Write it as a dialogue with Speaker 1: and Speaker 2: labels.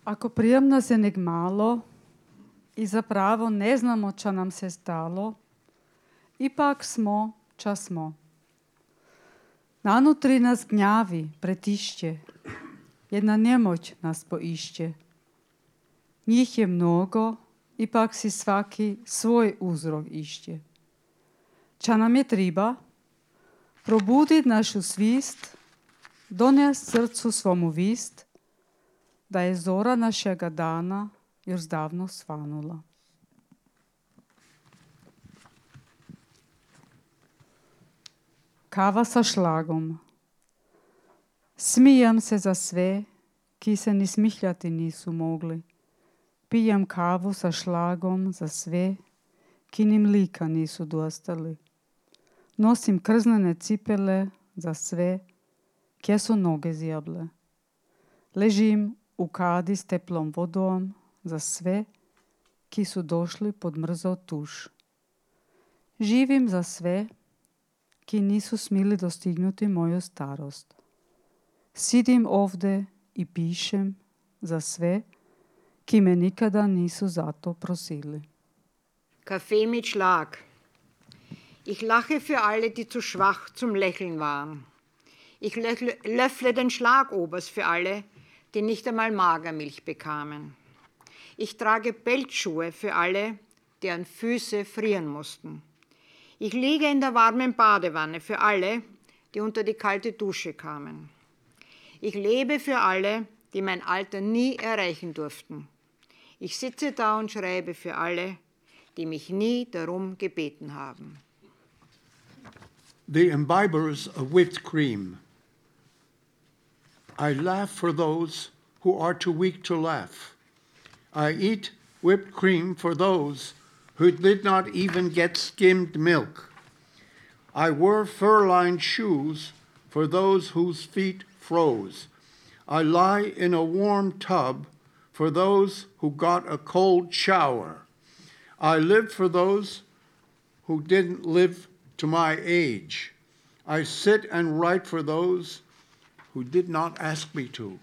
Speaker 1: Ako prijemna se nek malo i zapravo ne znamo čo nam se stalo, ipak smo ča smo. Nanutri nas gnjavi, pretišće, jedna nemoć nas poišće. Njih je mnogo, ipak si svaki svoj uzrok išće. Ča nam je triba? Probudit našu svist, donest srcu svomu vist, da je zora našega dana još zdavno svanula. Kava sa šlagom. Smijem se za sve, ki se ni smihljati nisu mogli. Pijem kavu sa šlagom za sve, ki ni mlika nisu dostali. Nosim krznene cipele za sve, kje su noge zjable. Ležim u kadi s teplom vodom za sve, ki su došli pod mrzao tuš. Živim za sve, ki nisu smili dostignuti moju starost. Sidim ovde i pišem za sve, ki me nikada nisu zato prosili.
Speaker 2: Kaffee mit Schlag. Ich lache für alle, die zu schwach zum Lächeln waren. Ich löffle den Schlagobers für alle, die nicht einmal Magermilch bekamen. Ich trage Pelzschuhe für alle, deren Füße frieren mussten. Ich liege in der warmen Badewanne für alle, die unter die kalte Dusche kamen. Ich lebe für alle, die mein Alter nie erreichen durften. Ich sitze da und schreibe für alle, die mich nie darum gebeten haben.
Speaker 3: The imbibers of whipped cream. I laugh for those who are too weak to laugh. I eat whipped cream for those who did not even get skimmed milk. I wear fur-lined shoes for those whose feet froze. I lie in a warm tub for those who got a cold shower. I live for those who didn't live to my age. I sit and write for those who did not ask me to.